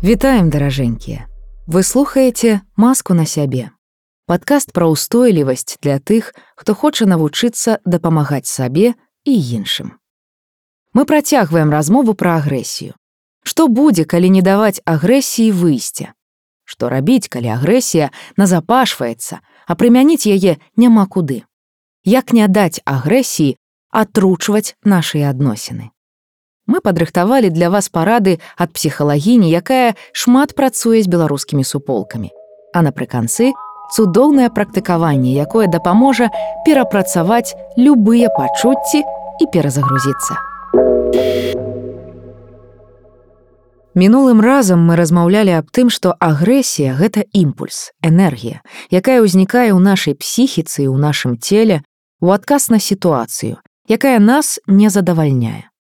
Вітаем, даражэнькія! Вы слухаеце «Маску на сябе» – падкаст пра ўстойлівасць для тых, хто хоча навучыцца дапамагаць сабе і іншым. Мы працягваем размову пра агрэсію. Што будзе, калі не даваць агрэсіі выйсця? Што рабіць, калі агрэсія назапашваецца, а прымяніць яе няма куды? Як не даць агрэсіі атручваць нашыя адносіны? Мы падрыхтавалі для вас парады ад псіхалагіні, якая шмат працуе з беларускімі суполкамі. А напрыканцы цудоўнае практыкаванне, якое дапаможа перапрацаваць любыя пачуцці і перазагрузіцца. Мінулым разам мы размаўлялі аб тым, што агрэсія – гэта імпульс, энергія, якая ўзнікае ў нашай псіхіцы і ў нашым целе у адказ на сітуацыю, якая нас не задавальняе.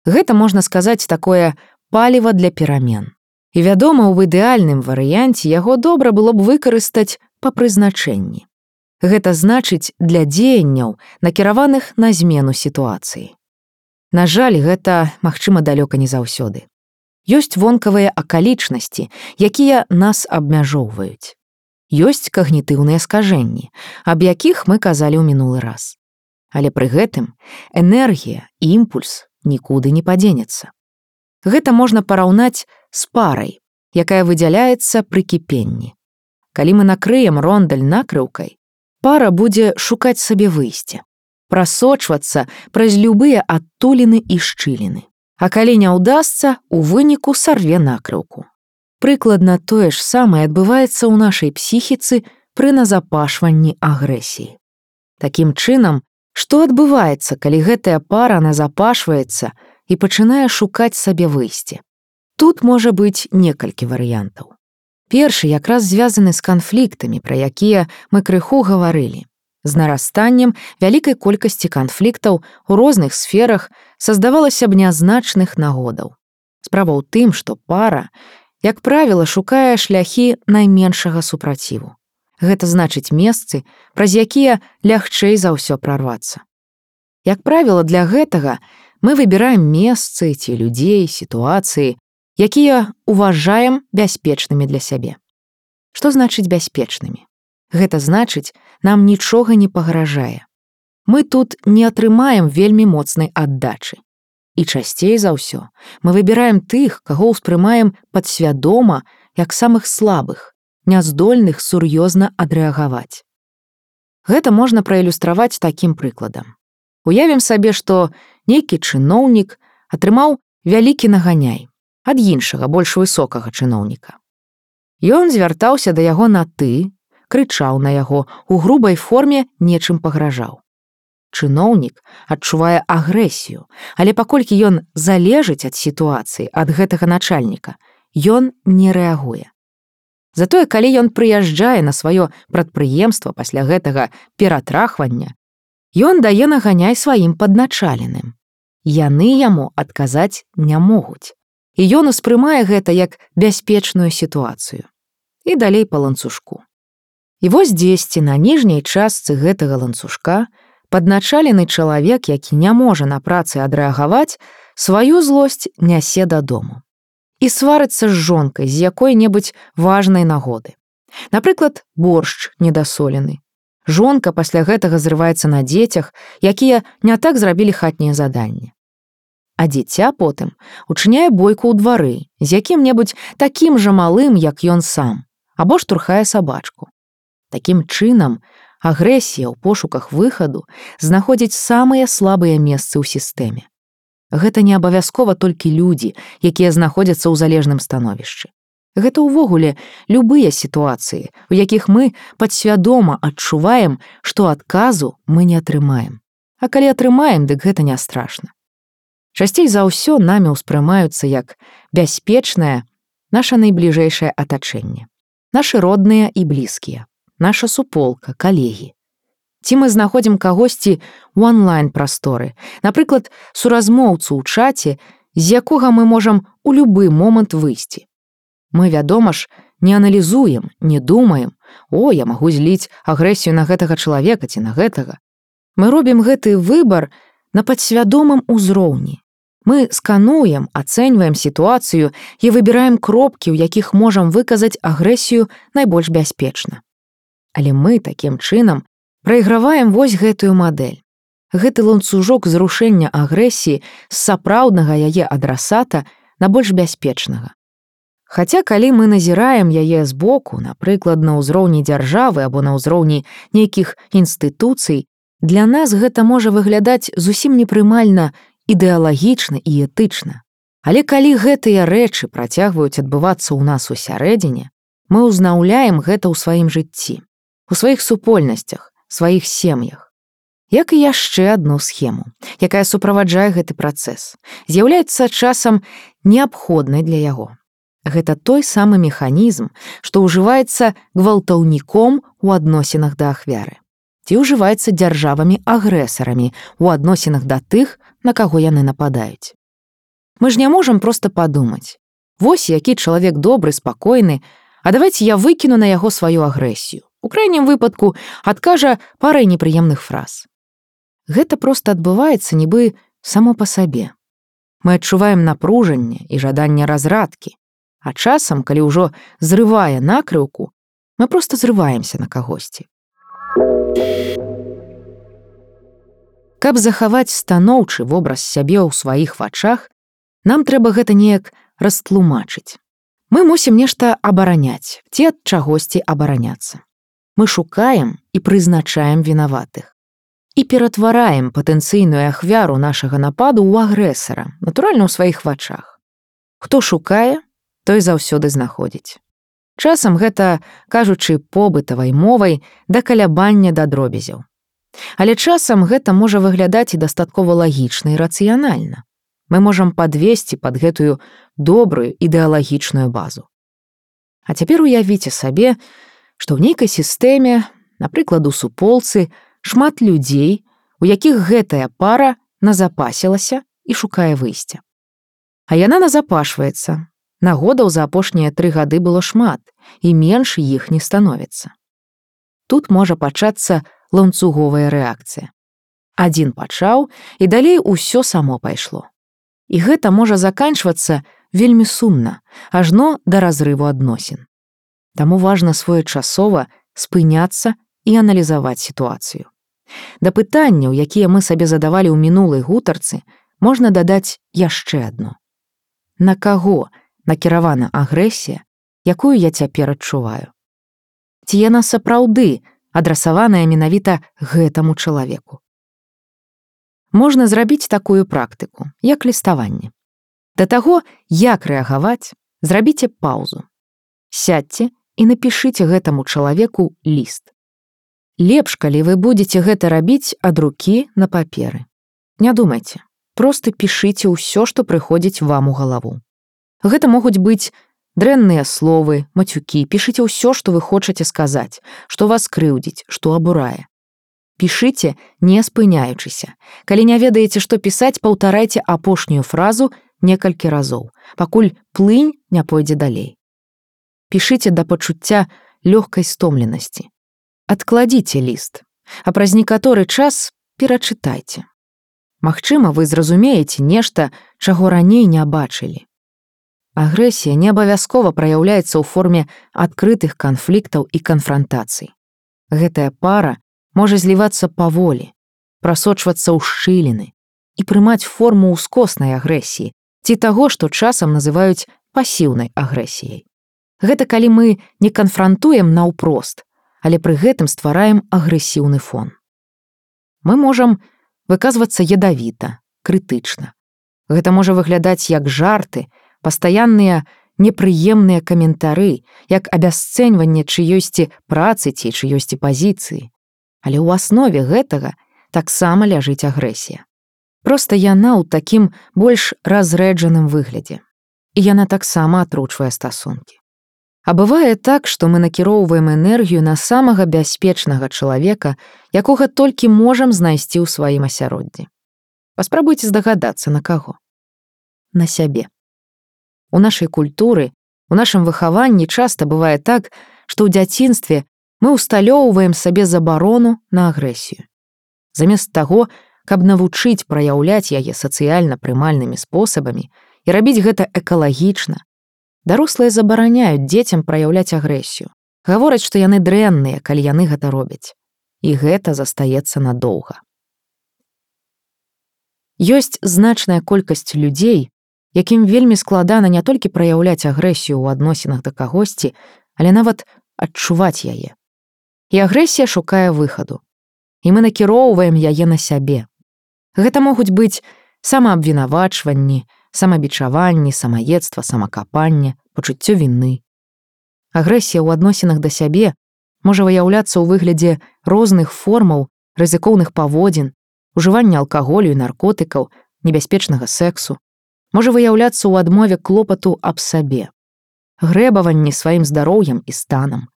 Гэта, можна сказаць, такое паліва для перамен. І, вядома, у ідэальным варыянце яго добра было б выкарыстаць па прызначэнні. Гэта значыць для дзеянняў, накіраваных на змену сітуацыі. На жаль, гэта, магчыма, далёка не заўсёды. Ёсць вонкавыя акалічнасці, якія нас абмяжоўваюць. Ёсць когнітыўныя скажэнні, аб якіх мы казалі ў мінулы раз. Але пры гэтым энергія, імпульс нікуды не падзенецца. Гэта можна параўнаць з парай, якая выдзяляецца пры кіпенні. Калі мы накрыем рондаль накрыўкай, пара будзе шукаць сабе выйсце, прасочвацца праз любыя адтуліны і шчыліны. А калі не ўдасца, у выніку сарве накрыўку. Прыкладна тое ж самае адбываецца ў нашай псіхіцы пры назапашванні агрэсіі. Такім чынам, што адбываецца, калі гэтая пара назапашваецца і пачынае шукаць сабе выйсце? Тут можа быць некалькі варыянтаў. Першы якраз звязаны з канфліктамі, пра якія мы крыху гаварылі. З нарастаннем вялікай колькасці канфліктаў у розных сферах создавалася б нязначных нагодаў. Справа ў тым, што пара, як правіла, шукае шляхі найменшага супраціву. Гэта значыць месцы, праз якія лягчэй за ўсё прарвацца. Як правіла, для гэтага мы выбіраем месцы ці людзей, сітуацыі, якія уважаем бяспечнымі для сябе. Што значыць бяспечнымі? Гэта значыць, нам нічога не пагражае. Мы тут не атрымаем вельмі моцнай аддачы. І часцей за ўсё мы выбіраем тых, каго ўспрымаем падсвядома як самых слабых, няздольных сур'ёзна адрэагаваць. Гэта можна праілюстраваць такім прыкладам. Уявім сабе, што нейкі чыноўнік атрымаў вялікі наганяй ад іншага, больш высокага чыноўніка. Ён звяртаўся да яго на «ты», крычаў на яго, у грубай форме нечым пагражаў. Чыноўнік адчувае агрэсію, але паколькі ён залежыць ад сітуацыі, ад гэтага начальніка, ён не рэагуе. Затое, калі ён прыязджае на сваё прадпрыемства пасля гэтага ператрахвання, ён дае наганяй сваім падначаленым. Яны яму адказаць не могуць. І ён успрымае гэта як бяспечную сітуацыю. І далей па ланцужку. І вось дзесьці на ніжняй частцы гэтага ланцужка падначалены чалавек, які не можа на працы адрэагаваць, сваю злосць нясе дадому. І сварыцца з жонкай з якой-небудзь важнай нагоды. Напрыклад, боршч недасолены. Жонка пасля гэтага зрываецца на дзецях, якія не так зрабілі хатнія заданні. А дзіця потым учыняе бойку ў двары з якім-небудзь такім жа малым, як ён сам, або штурхае сабачку. Такім чынам, агрэсія ў пошуках выхаду знаходзіць самыя слабыя месцы ў сістэме. Гэта не абавязкова толькі людзі, якія знаходзяцца ў залежным становішчы. Гэта ўвогуле любыя сітуацыі, у якіх мы падсвядома адчуваем, што адказу мы не атрымаем. А калі атрымаем, дык гэта не страшна. Часцей за ўсё намі ўспрымаюцца як бяспечнае наша найбліжэйшае атачэнне. Нашы родныя і блізкія, наша суполка, калегі. Ці мы знаходзім кагосьці ў онлайн-прасторы, напрыклад, суразмоўцу ў чаце, з якога мы можам у любы момант выйсці. Мы, вядома ж, не аналізуем, не думаем: «О, я магу зліць агрэсію на гэтага чалавека ці на гэтага». Мы робім гэты выбар на падсвядомым узроўні. Мы скануем, ацэньваем сітуацыю і выбіраем кропкі, у якіх можам выказаць агрэсію найбольш бяспечна. Але мы такім чынам прайграваем вось гэтую мадэль. Гэты ланцужок зрушэння агрэсіі з сапраўднага яе адрасата на больш бяспечнага. Хаця калі мы назіраем яе збоку, напрыклад, на ўзроўні дзяржавы або на ўзроўні нейкіх інстытуцый, для нас гэта можа выглядаць зусім непрымальна ідэалагічна і этычна. Але калі гэтыя рэчы працягваюць адбывацца ў нас усярэдзіне, мы ўзнаўляем гэта ў сваім жыцці, у сваіх супольнасцях, сваіх сем'ях. Як і яшчэ адну схему, якая суправаджае гэты працэс, з'яўляецца часам неабходнай для яго. Гэта той самы механізм, што ўжываецца гвалтаўніком у адносінах да ахвяры, ці ўжываецца дзяржавамі-агрэсарамі у адносінах да тых, на каго яны нападаюць. Мы ж не можам проста падумаць: вось які чалавек добры, спакойны, а давайце я выкіну на яго сваю агрэсію. У крайнім выпадку адкажа парай непрыемных фраз. Гэта проста адбываецца нібы само па сабе. Мы адчуваем напружанне і жаданне разрадкі, а часам, калі ўжо зрывае накрыўку, мы проста зрываемся на кагосьці. Каб захаваць станоўчы вобраз сябе ў сваіх вачах, нам трэба гэта неяк растлумачыць. Мы мусім нешта абараняць, ці ад чагосьці абараняцца. Мы шукаем і прызначаем вінаватых. І ператвараем патэнцыйную ахвяру нашага нападу ў агрэсара, натуральна, ў сваіх вачах. Хто шукае, той заўсёды знаходзіць. Часам гэта, кажучы побытавай мовай, да калябання да дробязяў. Але часам гэта можа выглядаць і дастаткова лагічна і рацыянальна. Мы можам падвесці пад гэтую добрую ідэалагічную базу. А цяпер уявіце сабе, што ў нейкай сістэме, напрыклад, у суполцы, шмат людзей, у якіх гэтая пара назапасілася і шукае выйсця. А яна назапашваецца. Нагодаў за апошнія 3 гады было шмат, і менш іх не становіцца. Тут можа пачацца ланцуговая рэакцыя. Адзін пачаў, і далей усё само пайшло. І гэта можа заканчвацца вельмі сумна, ажно да разрыву адносін. Таму важна своечасова спыняцца і аналізаваць сітуацыю. Да пытанняў, якія мы сабе задавалі ў мінулай гутарцы, можна дадаць яшчэ адно. На каго накіравана агрэсія, якую я цяпер адчуваю? Ці яна сапраўды адрасаваная менавіта гэтаму чалавеку? Можна зрабіць такую практыку, як ліставанне. Да таго, як рэагаваць, зрабіце паўзу. Сядьце і напішыце гэтаму чалавеку ліст. Лепш, калі вы будзеце гэта рабіць ад рукі на паперы. Не думайце, проста пішыце ўсё, што прыходзіць вам у галаву. Гэта могуць быць дрэнныя словы, мацюкі, пішыце ўсё, што вы хочаце сказаць, што вас крыўдзіць, што абурае. Пішыце, не спыняючыся. Калі не ведаеце, што пісаць, паўтарайце апошнюю фразу некалькі разоў, пакуль плынь не пойдзе далей. Пішыце да пачуцця лёгкай стомленасці. Адкладзіце ліст, а праз некаторы час перачытайце. Магчыма, вы зразумееце нешта, чаго раней не бачылі. Агрэсія не абавязкова праяўляецца ў форме адкрытых канфліктаў і канфрантацый. Гэтая пара можа злівацца паволі, прасочвацца ў шчыліны і прымаць форму ўскоснай агрэсіі ці таго, што часам называюць пасіўнай агрэсіяй. Гэта калі мы не канфрантуем наўпрост, але пры гэтым ствараем агрэсіўны фон. Мы можам выказвацца ядавіта, крытычна. Гэта можа выглядаць як жарты, пастаянныя непрыемныя каментары, як абясцэньванне чыёйсьці працы ці чыёйсьці пазіцыі. Але ў аснове гэтага таксама ляжыць агрэсія. Проста яна ў такім больш разрэджаным выглядзе. І яна таксама атручвае стасункі. А бывае так, што мы накіроўваем энергію на самага бяспечнага чалавека, якога толькі можам знайсці ў сваім асяроддзі. Паспрабуйце здагадацца, на каго. На сябе. У нашай культуры У нашым выхаванні часта бывае так, што ў дзяцінстве мы ўсталёўваем сабе забарону на агрэсію. Замест таго, каб навучыць праяўляць яе сацыяльна прымальнымі спосабамі і рабіць гэта экалагічна, дарослыя забараняюць дзецям праяўляць агрэсію. Гавораць, што яны дрэнныя, калі яны гэта робяць. І гэта застаецца надоўга. Ёсць значная колькасць людзей, якім вельмі складана не толькі праяўляць агрэсію ў адносінах да кагосьці, але нават адчуваць яе. І агрэсія шукае выхаду. І мы накіроўваем яе на сябе. Гэта могуць быць самаабвінавачванні, самабічаванні, самаедства, самакапанне, пачуццё віны. Агрэсія ў адносінах да сябе можа выяўляцца ў выглядзе розных формаў рызыкоўных паводзін, ужывання алкаголю і наркотыкаў, небяспечнага сексу, можа выяўляцца ў адмове клопату аб сабе, грэбаванні сваім здароўем і станам,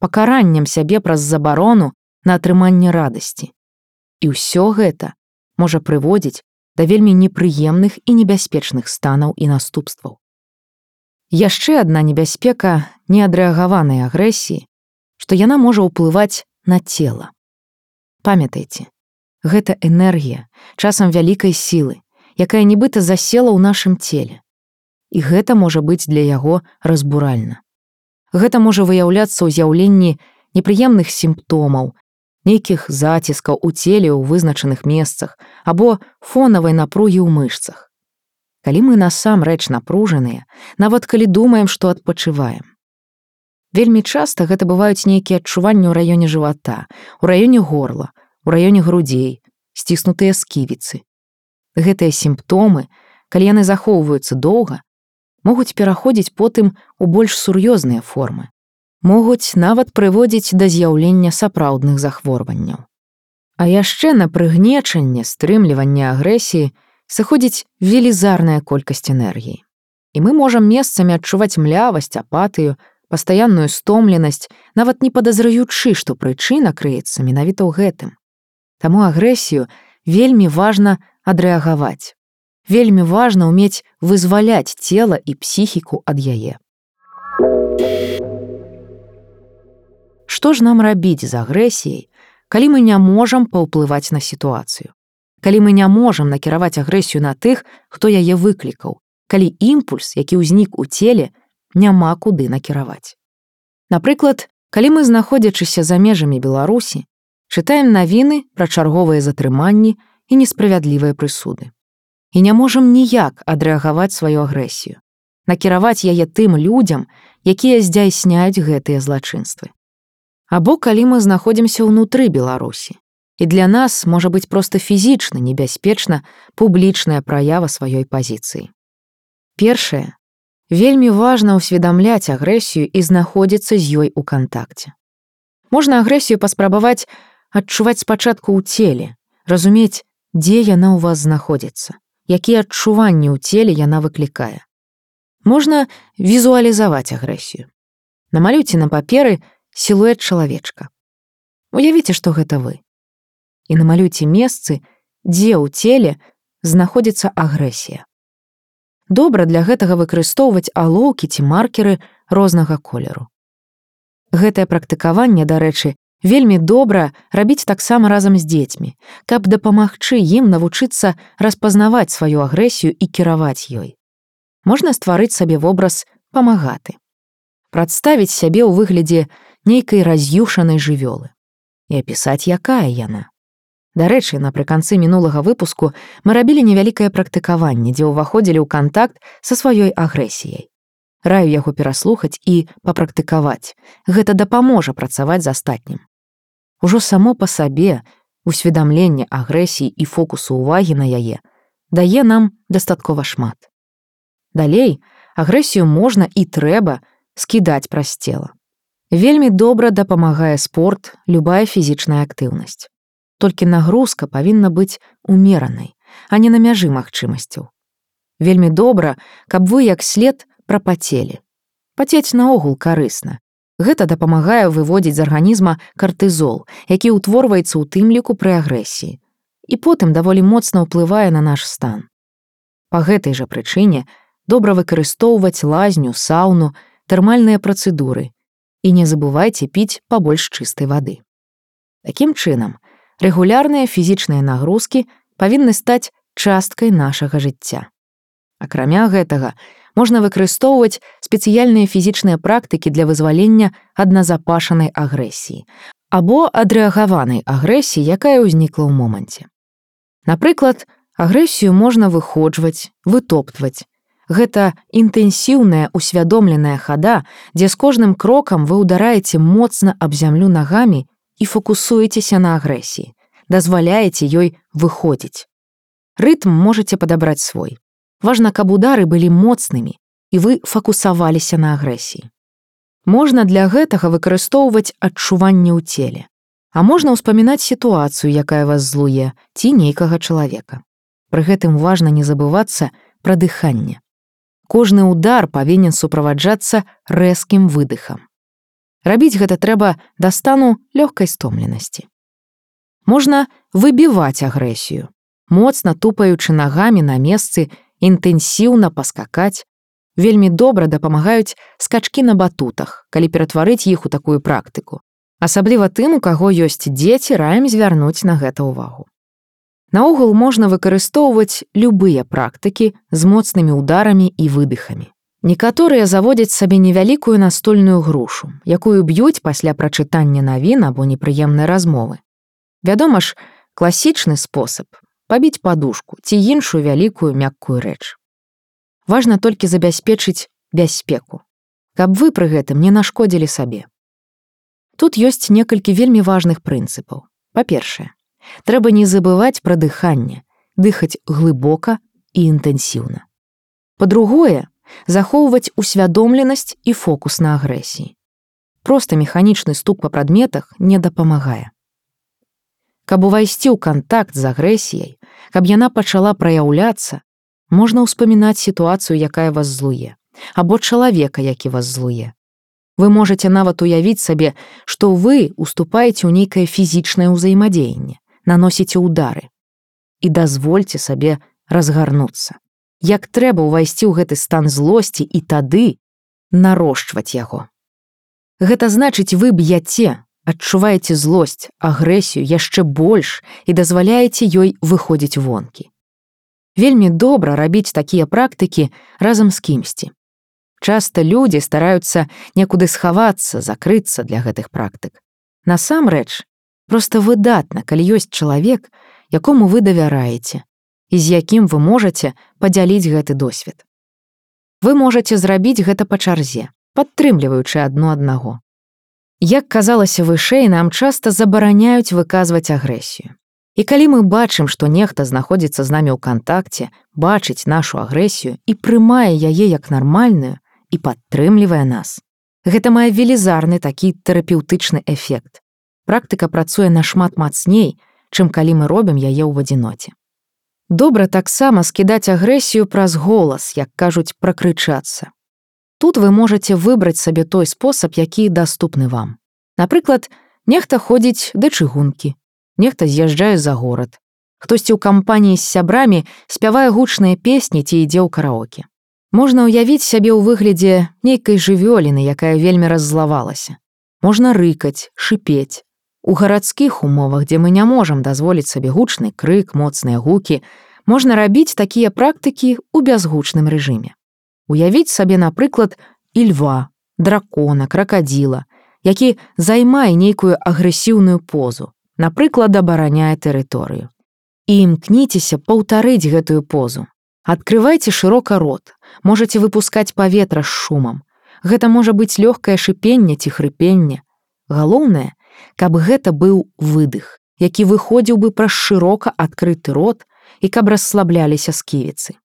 пакараннем сябе праз забарону на атрыманне радасці. І ўсё гэта можа прыводзіць да вельмі непрыемных і небяспечных станаў і наступстваў. Яшчэ адна небяспека неадрэагаванай агрэсіі, што яна можа ўплываць на цела. Памятайце, гэта энергія, часам вялікай сілы, якая нібыта засела ў нашым целе. І гэта можа быць для яго разбуральна. Гэта можа выяўляцца ў з'яўленні непрыемных сімптомаў, нейкіх заціскаў у целе ў вызначаных месцах або фонавай напругі ў мышцах. Калі мы насамрэч напружаныя, нават калі думаем, што адпачываем. Вельмі часта гэта бываюць нейкія адчуванні ў раёне жывата, у раёне горла, у раёне грудзей, сціснутыя сківіцы. Гэтыя сімптомы, калі яны захоўваюцца доўга, могуць пераходзіць потым у больш сур'ёзныя формы. Могуць нават прыводзіць да з'яўлення сапраўдных захворванняў. А яшчэ на прыгнечанне, стрымліванне агрэсіі сыходзіць велізарная колькасць энергіі. І мы можам месцамі адчуваць млявасць, апатыю, пастаянную стомленасць, нават не падазраючы, што прычына крыецца менавіта ў гэтым. Таму агрэсію вельмі важна адрэагаваць. Вельмі важна ўмець вызваляць цела і псіхіку ад яе. Што ж нам рабіць з агрэсіяй, калі мы не можам паўплываць на сітуацыю? Калі мы не можам накіраваць агрэсію на тых, хто яе выклікаў, калі імпульс, які ўзнік у целе, няма куды накіраваць. Напрыклад, калі мы, знаходзячыся за межамі Беларусі, чытаем навіны пра чарговыя затрыманні і несправядлівыя прысуды. І не можам ніяк адрэагаваць сваю агрэсію, накіраваць яе тым людзям, якія здзяйсняюць гэтыя злачынствы. Або калі мы знаходзімся ўнутры Беларусі, і для нас можа быць проста фізічна небяспечна публічная праява сваёй пазіцыі. Першае, вельмі важна ўсведамляць агрэсію і знаходзіцца з ёй у кантакце. Можна агрэсію паспрабаваць адчуваць спачатку ў целе, разумець, дзе яна ў вас знаходзіцца, якія адчуванні ў целе яна выклікае. Можна візуалізаваць агрэсію. Намалюйце на паперы сілуэт чалавечка. Уявіце, што гэта вы. І намалюйце месцы, дзе ў целе знаходзіцца агрэсія. Добра для гэтага выкарыстоўваць алоўкі ці маркеры рознага колеру. Гэтае практыкаванне, дарэчы, вельмі добра рабіць таксама разам з дзецьмі, каб дапамагчы ім навучыцца распазнаваць сваю агрэсію і кіраваць ёй. Можна стварыць сабе вобраз памагаты. Прадставіць сябе ў выглядзе нейкай раз'юшанай жывёлы і апісаць, якая яна. Дарэчы, напрыканцы мінулага выпуску мы рабілі невялікае практыкаванне, дзе ўваходзілі ў кантакт са сваёй агрэсіяй. Раю яго пераслухаць і папрактыкаваць. Гэта дапаможа працаваць з астатнім. Ужо само па сабе усведамленне агрэсіі і фокусу ўвагі на яе дае нам дастаткова шмат. Далей, агрэсію можна і трэба скідаць праз цела. Вельмі добра дапамагае спорт, любая фізічная актыўнасць. Толькі нагрузка павінна быць умеранай, а не на мяжы магчымасцяў. Вельмі добра, каб вы як след прапацелі. Пацець наогул карысна. Гэта дапамагае выводзіць з арганізма картызол, які ўтворваецца ў тым ліку пры агрэсіі, і потым даволі моцна ўплывае на наш стан. Па гэтай жа прычыне добра выкарыстоўваць лазню, сауну, тэрмальныя працэдуры. І не забывайце піць пабольш чыстай вады. Такім чынам, рэгулярныя фізічныя нагрузкі павінны стаць часткай нашага жыцця. Акрамя гэтага, можна выкарыстоўваць спецыяльныя фізічныя практыкі для вызвалення ад назапашанай агрэсіі або адрэагаванай агрэсіі, якая ўзнікла ў моманце. Напрыклад, агрэсію можна выходжваць, вытоптваць. Гэта інтэнсіўная усвядомленая хада, дзе з кожным крокам вы ўдараеце моцна аб зямлю нагамі і фокусуецеся на агрэсіі, дазваляеце ёй выходзіць. Рытм можаце падабраць свой. Важна, каб удары былі моцнымі, і вы фокусаваліся на агрэсіі. Можна для гэтага выкарыстоўваць адчуванне ў целе. А можна ўспамінаць сітуацыю, якая вас злуе, ці нейкага чалавека. Пры гэтым важна не забывацца пра дыханне. Кожны удар павінен суправаджацца рэзкім выдыхам. Рабіць гэта трэба да стану лёгкай стомленасці. Можна выбіваць агрэсію, моцна тупаючы нагамі на месцы, інтэнсіўна паскакаць. Вельмі добра дапамагаюць скачкі на батутах, калі ператварыць іх у такую практыку. Асабліва тым, у каго ёсць дзеці, раім звярнуць на гэта ўвагу. Наогул можна выкарыстоўваць любыя практыкі з моцнымі ударамі і выдыхамі. Некаторыя заводзяць сабе невялікую настольную грушу, якую б'юць пасля прачытання навін або непрыемнай размовы. Вядома ж, класічны спосаб – пабіць падушку ці іншую вялікую мяккую рэч. Важна толькі забяспечыць бяспеку, каб вы пры гэтым не нашкодзілі сабе. Тут ёсць некалькі вельмі важных прынцыпаў. Па-першае, трэба не забываць пра дыханне, дыхаць глыбока і інтэнсіўна. Па-другое, захоўваць усвядомленасць і фокус на агрэсіі. Проста механічны стук па прадметах не дапамагае. Каб увайсці ў кантакт з агрэсіяй, каб яна пачала праяўляцца, можна ўспамінаць сітуацыю, якая вас злуе, або чалавека, які вас злуе. Вы можаце нават уявіць сабе, што вы уступаеце ў нейкае фізічнае ўзаемадзеянне, наносіце ўдары. І дазвольце сабе разгарнуцца. Як трэба ўвайсці ў гэты стан злосці і тады нарошчваць яго. Гэта значыць, вы б'яце, адчуваеце злосць, агрэсію яшчэ больш і дазваляеце ёй выходзіць вонкі. Вельмі добра рабіць такія практыкі разам з кімсьці. Часта людзі стараюцца некуды схавацца, закрыцца для гэтых практык. Насамрэч, проста выдатна, калі ёсць чалавек, якому вы давяраеце, і з якім вы можаце падзяліць гэты досвед. Вы можаце зрабіць гэта па чарзе, падтрымліваючы адно аднаго. Як казалася вышэй, нам часта забараняюць выказваць агрэсію. І калі мы бачым, што нехта знаходзіцца з намі ў кантакце, бачыць нашу агрэсію і прымае яе як нармальную і падтрымлівае нас, гэта мае велізарны такі тэрапеўтычны эфект. Практыка працуе нашмат мацней, чым калі мы робім яе ў адзіноце. Добра таксама скідаць агрэсію праз голас, як кажуць, пракрычацца. Тут вы можаце выбраць сабе той спосаб, які даступны вам. Напрыклад, нехта ходзіць да чыгункі, нехта з'язджае за горад. Хтосьці ў кампаніі з сябрамі спявае гучныя песні ці ідзе ў караоке. Можна ўявіць сябе ў выглядзе нейкай жывёліны, якая вельмі раззлавалася. Можна рыкаць, шыпець. У гарадскіх умовах, дзе мы не можам дазволіць сабе гучны крык, моцныя гукі, можна рабіць такія практыкі ў бязгучным рэжыме. Уявіць сабе, напрыклад, і льва, дракона, кракадзіла, які займае нейкую агрэсіўную позу, напрыклад, абараняе тэрыторыю. І імкніцеся паўтарыць гэтую позу. Адкрывайце шырока рот, можаце выпускаць паветра з шумам. Гэта можа быць лёгкае шыпенне ці хрыпенне. Галоўнае, каб гэта быў выдых, які выходзіў бы праз шырока адкрыты рот і каб расслабляліся сківіцы.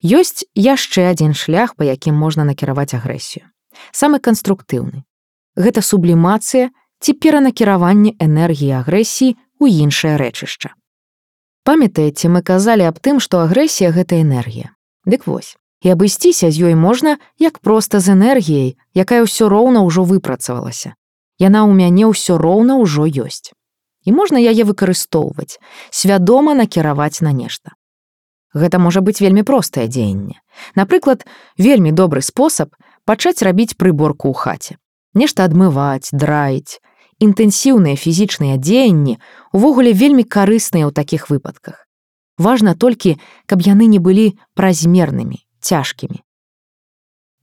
Ёсць яшчэ адзін шлях, па якім можна накіраваць агрэсію. Самы канструктыўны. Гэта сублімацыя ці перанакіраванне энергіі агрэсіі ў іншае рэчышча. Памятаеце, мы казалі аб тым, што агрэсія – гэта энергія. Дык вось, і абысціся з ёй можна як проста з энергіяй, якая ўсё роўна ўжо выпрацавалася. Яна ў мяне ўсё роўна ўжо ёсць. І можна яе выкарыстоўваць, свядома накіраваць на нешта. Гэта можа быць вельмі простае дзеянне. Напрыклад, вельмі добры спосаб пачаць рабіць прыборку ў хаце. Нешта адмываць, драіць. Інтэнсіўныя фізічныя дзеянні увогуле вельмі карысныя ў такіх выпадках. Важна толькі, каб яны не былі празмернымі, цяжкімі.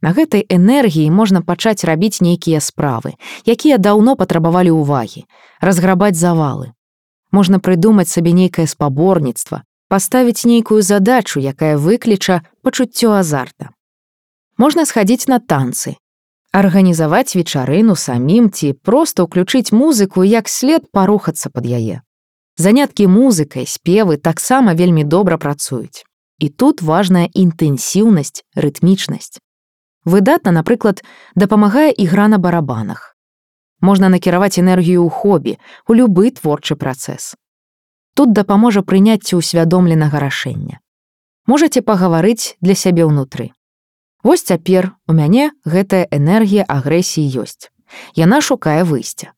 На гэтай энергіі можна пачаць рабіць нейкія справы, якія даўно патрабавалі ўвагі, разграбаць завалы. Можна прыдумаць сабе нейкае спаборніцтва, паставіць нейкую задачу, якая выкліча пачуццё азарта. Можна схадзіць на танцы, арганізаваць вечарыну самім ці проста ўключыць музыку і як след парухацца пад яе. Заняткі музыкай, спевы таксама вельмі добра працуюць. І тут важная інтэнсіўнасць, рытмічнасць. Выдатна, напрыклад, дапамагае ігра на барабанах. Можна накіраваць энергію ў хобі, у любы творчы працэс. Тут дапаможа прыняцце ўсвядомленага рашэння. Можаце пагаварыць для сябе ўнутры. Вось цяпер у мяне гэтая энергія агрэсіі ёсць. Яна шукае выйсця.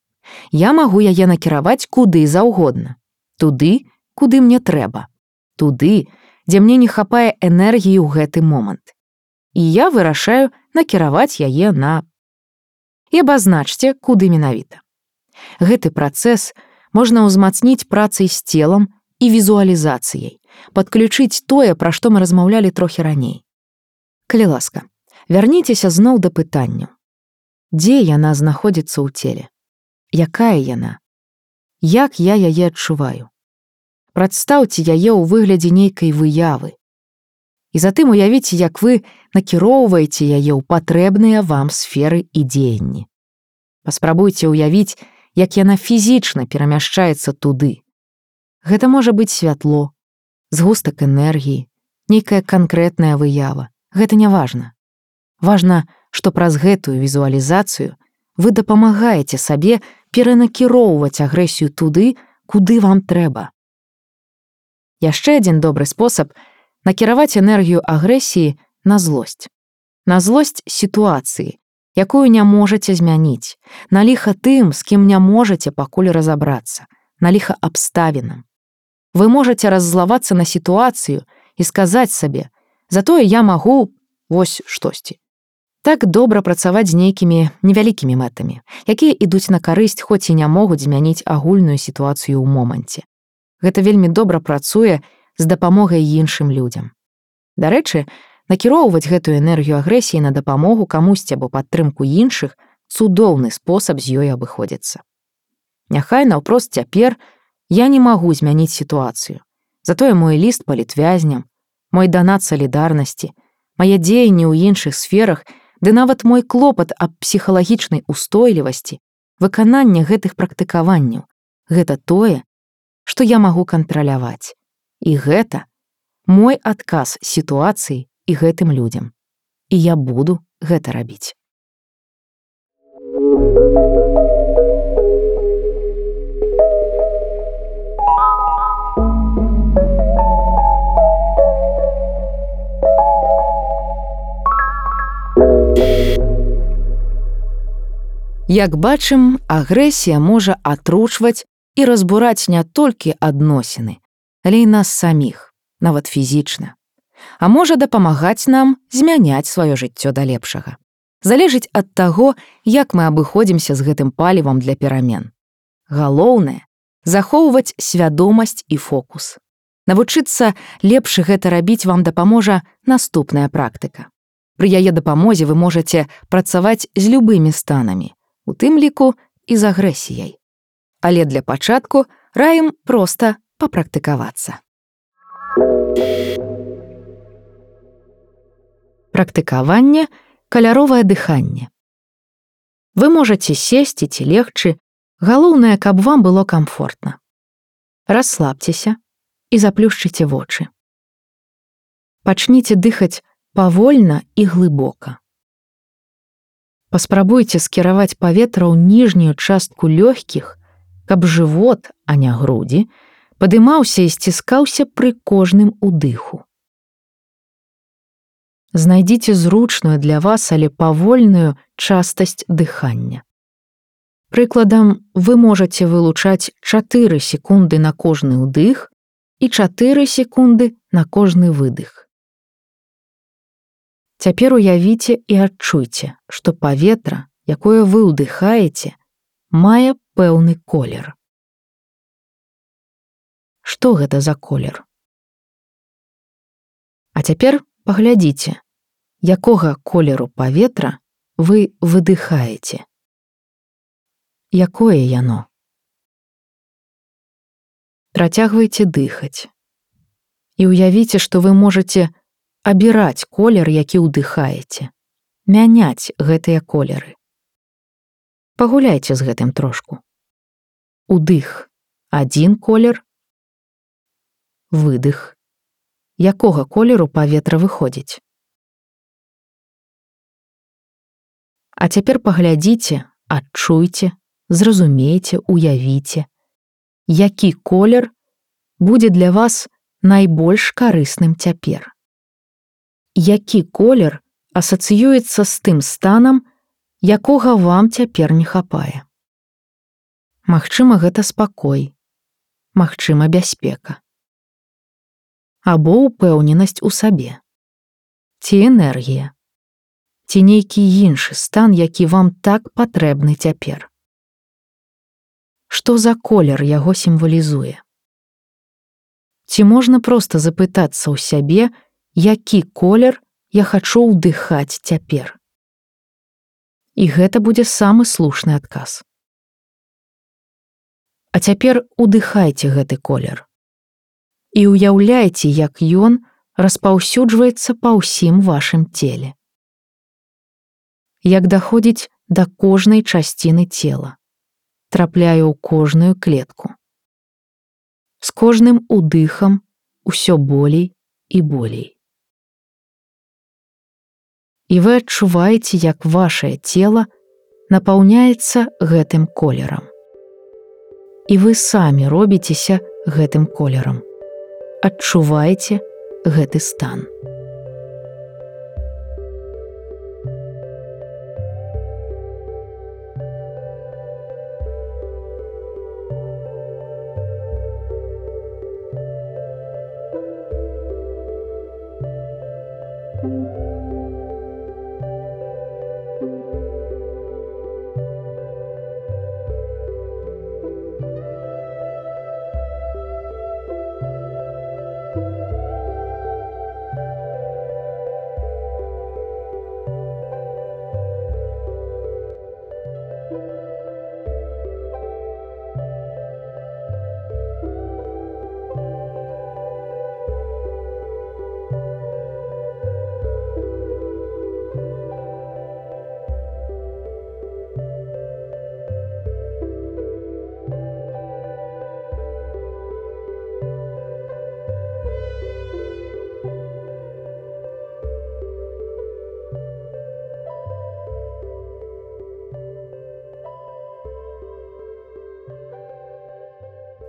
Я магу яе накіраваць куды заўгодна. Туды, куды мне трэба. Туды, дзе мне не хапае энергіі ў гэты момант. І я вырашаю накіраваць яе на... І абазначце, куды менавіта. Гэты працэс можна ўзмацніць працай з целам і візуалізацыяй, падключыць тое, пра што мы размаўлялі трохі раней. Калі ласка, вярніцеся зноў да пытанню. Дзе яна знаходзіцца ў целе? Якая яна? Як я яе адчуваю? Прадстаўце яе ў выглядзе нейкай выявы. І затым уявіце, як вы накіроўваеце яе ў патрэбныя вам сферы і дзеянні. Паспрабуйце ўявіць, як яна фізічна перамяшчаецца туды. Гэта можа быць святло, згустак энергіі, нейкая канкрэтная выява. Гэта не важна. Важна, што праз гэтую візуалізацыю вы дапамагаеце сабе перанакіроўваць агрэсію туды, куды вам трэба. Яшчэ адзін добры спосаб накіраваць энергію агрэсіі на злосць. На злосць сітуацыі, якую не можаце змяніць, на ліха тым, з кім не можаце пакуль разабрацца, на ліха абставінам. Вы можаце раззлавацца на сітуацыю і сказаць сабе: «Затое я магу вось штосьці». Так добра працаваць з нейкімі невялікімі мэтамі, якія ідуць на карысць, хоць і не могуць змяніць агульную сітуацыю ў моманце. Гэта вельмі добра працуе з дапамогай іншым людзям. Дарэчы, накіроўваць гэтую энергію агрэсіі на дапамогу камусьці або падтрымку іншых цудоўны спосаб з ёй абыходзіцца. Няхай наўпрост цяпер я не магу змяніць сітуацыю. Затое мой ліст палітвязням, мой данат салідарнасці, мае дзеянні ў іншых сферах, ды нават мой клопат аб псіхалагічнай устойлівасці, выкананне гэтых практыкаванняў — гэта тое, што я магу кантраляваць. І гэта мой адказ сітуацыі і гэтым людзям. І я буду гэта рабіць. Як бачым, агрэсія можа атручваць і разбураць не толькі адносіны, але і нас саміх, нават фізічна. А можа дапамагаць нам змяняць сваё жыццё да лепшага. Залежыць ад таго, як мы абыходзімся з гэтым палівам для перамен. Галоўнае — захоўваць свядомасць і фокус. Навучыцца лепш гэта рабіць вам дапаможа наступная практыка. Пры яе дапамозе вы можаце працаваць з любымі станамі, у тым ліку і з агрэсіяй. Але для пачатку раім проста папрактыкавацца. Практыкаванне — каляровае дыханне. Вы можаце сесці ці легчы, галоўнае, каб вам было камфортна. Расслабцеся і заплюшчыце вочы. Пачніце дыхаць павольна і глыбока. Паспрабуйце скіраваць паветра ў ніжнюю частку лёгкіх, каб жывот, а не грудзі, падымаўся і сціскаўся пры кожным удыху. Знайдзіце зручную для вас, але павольную частасць дыхання. Прыкладам, вы можаце вылучаць 4 секунды на кожны ўдых і 4 секунды на кожны выдых. Цяпер уявіце і адчуйце, што паветра, якое вы ўдыхаеце, мае пэўны колер. Што гэта за колер? А цяпер паглядзіце, якога колеру паветра вы выдыхаеце. Якое яно? Працягвайце дыхаць. І ўявіце, што вы можаце абіраць колер, які ўдыхаеце, мяняць гэтыя колеры. Пагуляйце з гэтым трошку. Удых – адзін колер, выдых. Якога колеру паветра выходзіць? А цяпер паглядзіце, адчуйце, зразумейце, уявіце, які колер будзе для вас найбольш карысным цяпер. Які колер асацыюецца з тым станам, якога вам цяпер не хапае. Магчыма, гэта спакой, магчыма, бяспека. Або ўпэўненасць у сабе. Ці энергія. Ці нейкі іншы стан, які вам так патрэбны цяпер. Што за колер яго сімвалізуе? Ці можна проста запытацца ў сябе, які колер я хачу ўдыхаць цяпер? І гэта будзе самы слушны адказ. А цяпер удыхайце гэты колер. І ўяўляйце, як ён распаўсюджваецца па ўсім вашым целе. Як даходзіць да кожнай часціны цела, трапляе ў кожную клетку. З кожным удыхам усё болей і болей. І вы адчуваеце, як вашае цела напаўняецца гэтым колерам. І вы самі робіцеся гэтым колерам. Адчуваеце гэты стан.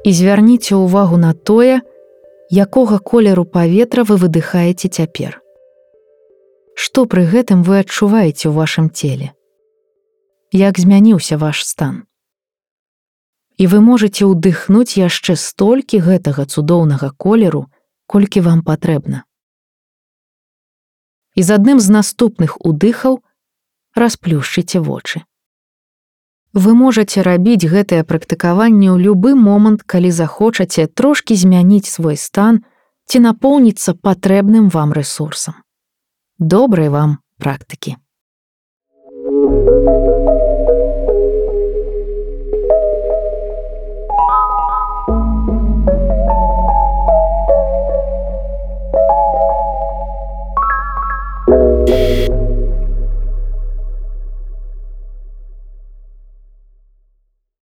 І звярніце ўвагу на тое, якога колеру паветра вы выдыхаеце цяпер. Што пры гэтым вы адчуваеце ў вашым целе? Як змяніўся ваш стан? І вы можаце ўдыхнуць яшчэ столькі гэтага цудоўнага колеру, колькі вам патрэбна. І з адным з наступных удыхаў расплюшчыце вочы. Вы можаце рабіць гэтае практыкаванне ў любы момант, калі захочаце трошкі змяніць свой стан ці напоўніцца патрэбным вам рэсурсам. Добрай вам практыкі!